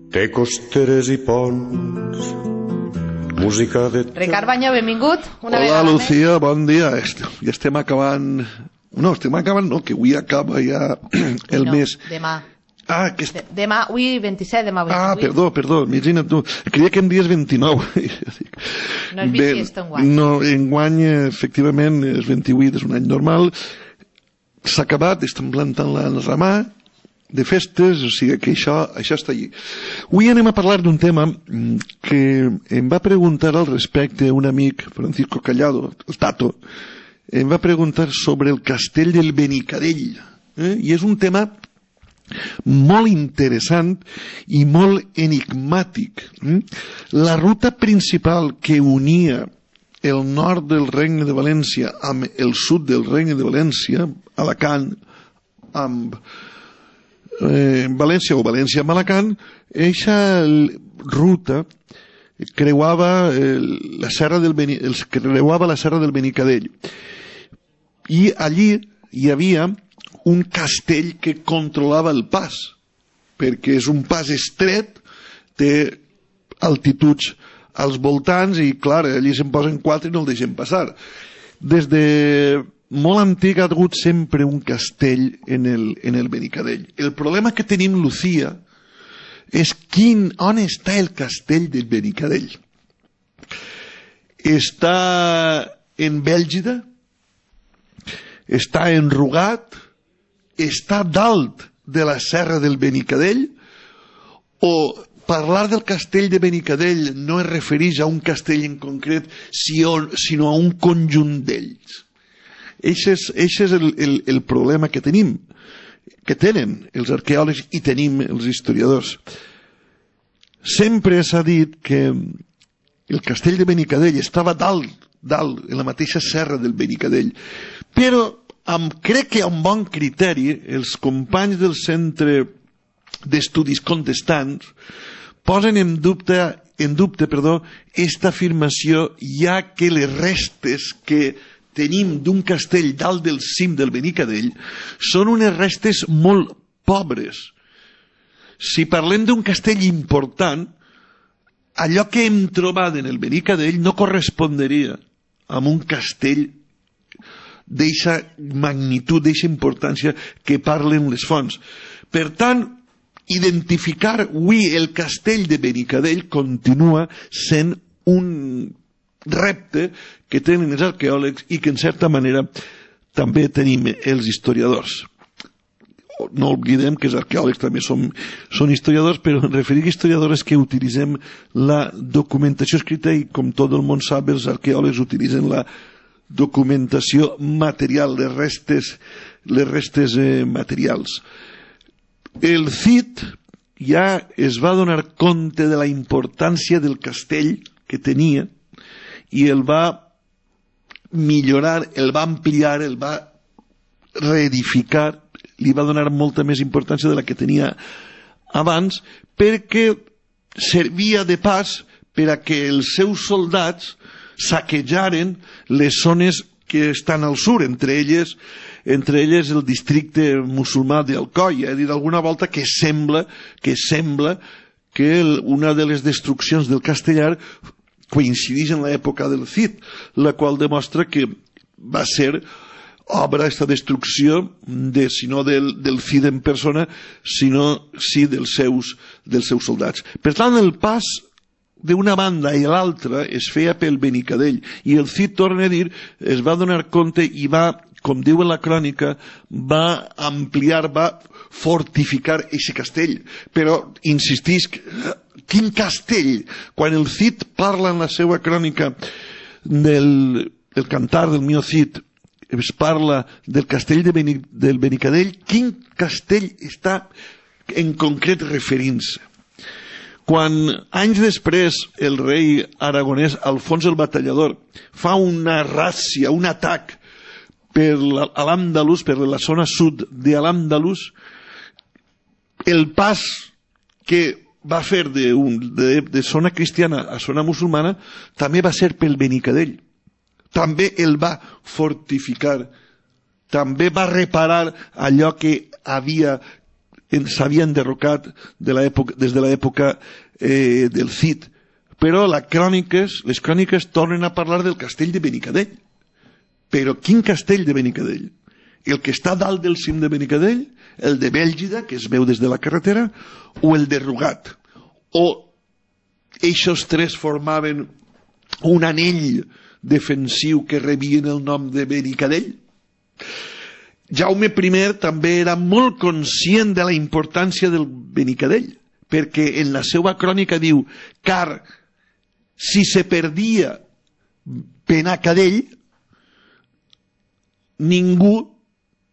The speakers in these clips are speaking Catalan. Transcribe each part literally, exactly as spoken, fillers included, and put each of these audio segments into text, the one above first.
Té costeres i ponts, música de... Ricard Banyó, benvingut. Una Hola, Lucía, bon dia. Ja estem acabant... No, estem acabant, no, que avui acaba ja el no, mes. Demà. Ah, que... De, demà, avui vint-i-set, demà vint-i-vuit. Ah, perdó, perdó, imagina't tu. Creia que em dies vint-i-nou. No és bisiesto enguany. No, enguany, efectivament, és vint-i-vuit, és un any normal. S'ha acabat, estem plantant la ramà de festes, o sigui que això, això està allí. Avui anem a parlar d'un tema que em va preguntar al respecte un amic, Francisco Callado, el Tato, em va preguntar sobre el castell del Benicadell. Eh? I és un tema molt interessant i molt enigmàtic. La ruta principal que unia el nord del Regne de València amb el sud del Regne de València, Alacant, amb eh, València o València amb Alacant, eixa ruta creuava eh, la serra del Beni, els creuava la serra del Benicadell, i allí hi havia un castell que controlava el pas, perquè és un pas estret, té altituds als voltants i, clar, allí se'n posen quatre i no el deixen passar. Des de molt antic ha hagut sempre un castell en el, en el Benicadell. El problema que tenim, Lucía, és quin, on està el castell del Benicadell? Està en Bèlgida? Està en Rugat? Està dalt de la serra del Benicadell? O parlar del castell de Benicadell no es refereix a un castell en concret, sinó a un conjunt d'ells? Eixe és, eixe és el, el, el problema que tenim, que tenen els arqueòlegs i tenim els historiadors. Sempre s'ha dit que el castell de Benicadell estava dalt, dalt, en la mateixa serra del Benicadell, però amb, crec que amb bon criteri els companys del Centre d'Estudis Contestants posen en dubte, en dubte perdó, esta afirmació, ja que les restes que tenim d'un castell dalt del cim del Benicadell són unes restes molt pobres. Si parlem d'un castell important, allò que hem trobat en el Benicadell no correspondria amb un castell d'eixa magnitud, d'eixa importància que parlen les fonts. Per tant, identificar avui el castell de Benicadell continua sent un repte que tenen els arqueòlegs i que en certa manera també tenim els historiadors. No oblidem que els arqueòlegs també són, són historiadors, però en referir a historiadors que utilitzem la documentació escrita i, com tot el món sap, els arqueòlegs utilitzen la documentació material, les restes, les restes eh, materials. El Cid ja es va donar compte de la importància del castell que tenia i el va millorar, el va ampliar, el va reedificar, li va donar molta més importància de la que tenia abans, perquè servia de pas per a que els seus soldats saquejaren les zones que estan al sud, entre elles, entre elles el districte musulmà d'Alcoi. És a dir, d'alguna volta que sembla que sembla que el, una de les destruccions del castellar coincideix en l'època del Cid, la qual demostra que va ser obra, aquesta destrucció, de, si no del, del Cid en persona, sinó sí dels seus, dels seus soldats. Per tant, el pas d'una banda i l'altra es feia pel Benicadell, i el Cid, torna a dir, es va donar compte i va, com diu en la crònica, va ampliar, va fortificar aquest castell. Però insistisc, quin castell? Quan el Cid parla en la seva crònica del el cantar del mio Cid, es parla del castell de Beni, del Benicadell, quin castell està en concret referint-se? Quan anys després el rei aragonès Alfons el Batallador fa una ràcia, un atac per l'Al-Àndalus, per la zona sud de l'Al-Àndalus, el pas que va fer de, un, de, de zona cristiana a zona musulmana també va ser pel Benicadell. També el va fortificar, també va reparar allò que havia s'havia enderrocat de des de l'època eh, del Cid. Però la cròniques, les cròniques tornen a parlar del castell de Benicadell. Però quin castell de Benicadell? El que està dalt del cim de Benicadell, el de Bèlgida, que es veu des de la carretera, o el de Rugat? O eixos tres formaven un anell defensiu que rebien el nom de Benicadell? Jaume I també era molt conscient de la importància del Benicadell, perquè en la seva crònica diu: car si se perdia Benacadell, ningú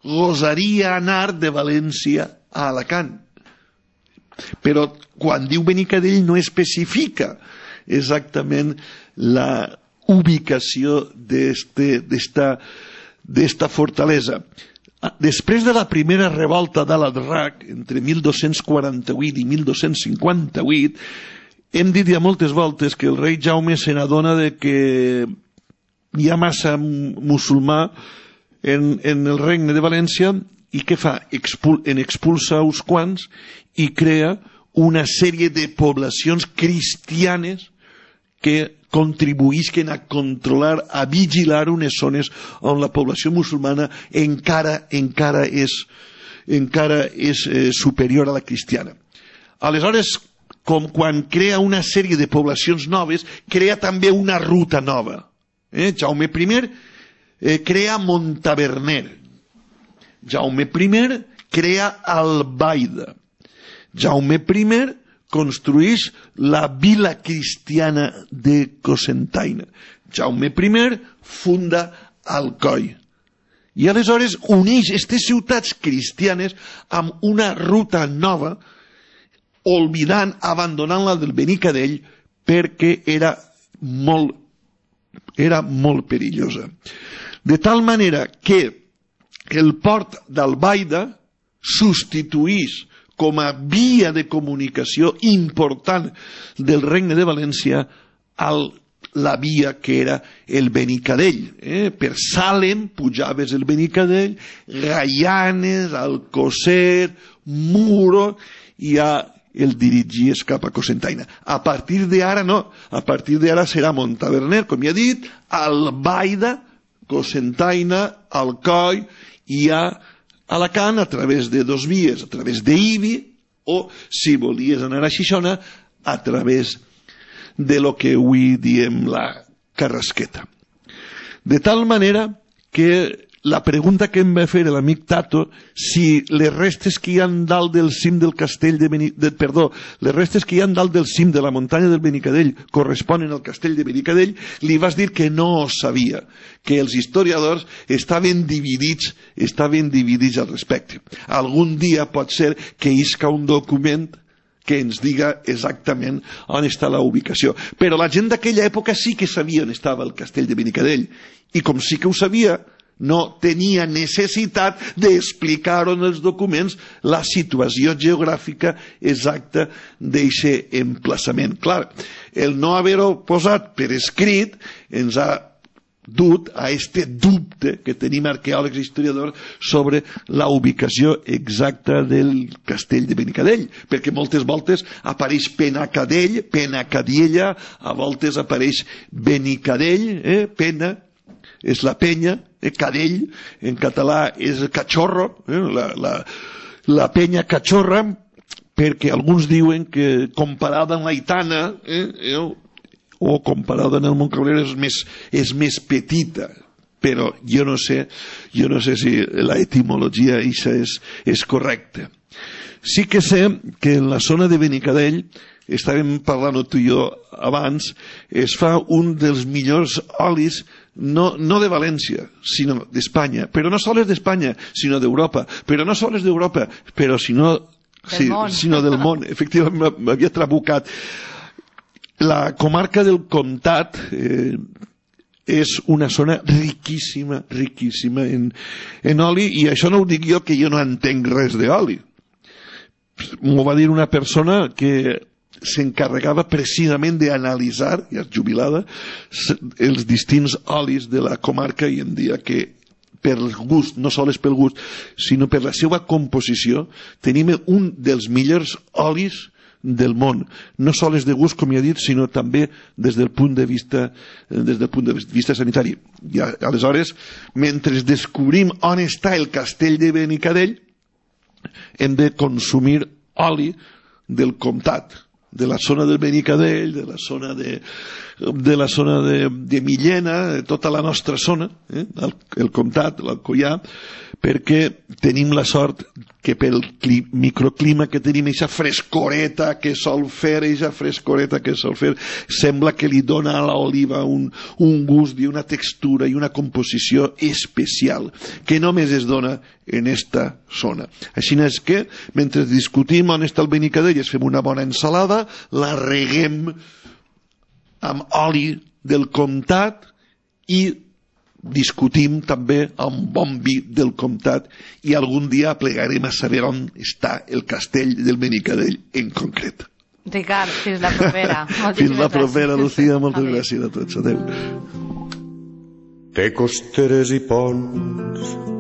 gosaria anar de València a Alacant. Però quan diu Benicadell no especifica exactament la ubicació d'esta d'esta fortalesa. Després de la primera revolta d'Al-Adrac, entre mil dos-cents quaranta-vuit i mil dos-cents cinquanta-vuit, hem dit ja moltes voltes que el rei Jaume se n'adona de que hi ha massa musulmà en, en el regne de València, i què fa? Expul, en expulsa uns quants i crea una sèrie de poblacions cristianes que contribuïsquen a controlar, a vigilar unes zones on la població musulmana encara, encara és, encara és eh, superior a la cristiana. Aleshores, com quan crea una sèrie de poblacions noves, crea també una ruta nova. Eh? Jaume I eh, crea Montaverner. Jaume I crea Albaida. Jaume I construeix la vila cristiana de Cocentaina. Jaume I funda Alcoi. I aleshores uneix aquestes ciutats cristianes amb una ruta nova, oblidant, abandonant la del Benicadell, perquè era molt, era molt perillosa. De tal manera que el port d'Albaida substituís com a via de comunicació important del Regne de València a la via que era el Benicadell. Eh? Per Salem pujaves el Benicadell, Gaianes, Alcocer, Muro, i ja el dirigies cap a Cocentaina. A partir d'ara no, a partir d'ara serà Montaverner, com ja he dit, Albaida, Cocentaina, Alcoi, i ja Alacant a través de dos vies, a través d'Ibi, o, si volies anar a Xixona, a través de lo que avui diem la Carrasqueta. De tal manera que la pregunta que em va fer l'amic Tato, si les restes que hi ha dalt del cim del castell de Benicadell, perdó, les restes que hi ha dalt del cim de la muntanya del Benicadell corresponen al castell de Benicadell, li vas dir que no ho sabia, que els historiadors estaven dividits, estaven dividits al respecte. Algun dia pot ser que isca un document que ens diga exactament on està la ubicació. Però la gent d'aquella època sí que sabia on estava el castell de Benicadell, i com sí que ho sabia, no tenia necessitat d'explicar en els documents la situació geogràfica exacta d'aquest emplaçament. Clar, el no haver-ho posat per escrit ens ha dut a este dubte que tenim arqueòlegs i historiadors sobre la ubicació exacta del castell de Benicadell, perquè moltes voltes apareix Penacadell, Penacadiella, a voltes apareix Benicadell, eh? Pena és la penya, eh? Cadell en català és cachorro, eh? la, la, la penya cachorra, perquè alguns diuen que comparada amb l'Aitana, eh? eh? o comparada amb el Montcabrer és més, és més petita, però jo no sé, jo no sé si la etimologia això és, és correcta. Sí que sé que en la zona de Benicadell, estàvem parlant tu i jo abans, es fa un dels millors olis, no, no de València, sinó d'Espanya, però no sols d'Espanya, sinó d'Europa, però no sols d'Europa, però sinó, sí, sinó del món. Efectivament, m'havia trabucat. La comarca del Comtat eh, és una zona riquíssima, riquíssima en, en oli, i això no ho dic jo, que jo no entenc res d'oli. M'ho va dir una persona que s'encarregava precisament d'analitzar, ja és jubilada, els distints olis de la comarca, i em deia que per gust, no sols pel gust, sinó per la seva composició, tenim un dels millors olis del món, no sols de gust, com ja he dit, sinó també des del punt de vista, des del punt de vista sanitari. I aleshores, mentre descobrim on està el castell de Benicadell, hem de consumir oli del comtat, de la zona del Benicadell, de la zona de, de la zona de, de Millena, de tota la nostra zona, eh? el, el comtat, l'Alcoià, perquè tenim la sort que pel cli, microclima que tenim, aquesta frescoreta que sol fer, aquesta frescoreta que sol fer, sembla que li dona a l'oliva un, un gust i una textura i una composició especial, que només es dona en esta zona. Així és que, mentre discutim on està el Benicadell, fem una bona ensalada, la reguem amb oli del comtat i discutim també amb bon vi del comtat i algun dia plegarem a saber on està el castell del Benicadell en concret. Ricard, fins la propera. Fins la propera, Lucía, moltes gràcies a tots. Adéu. Té costeres i ponts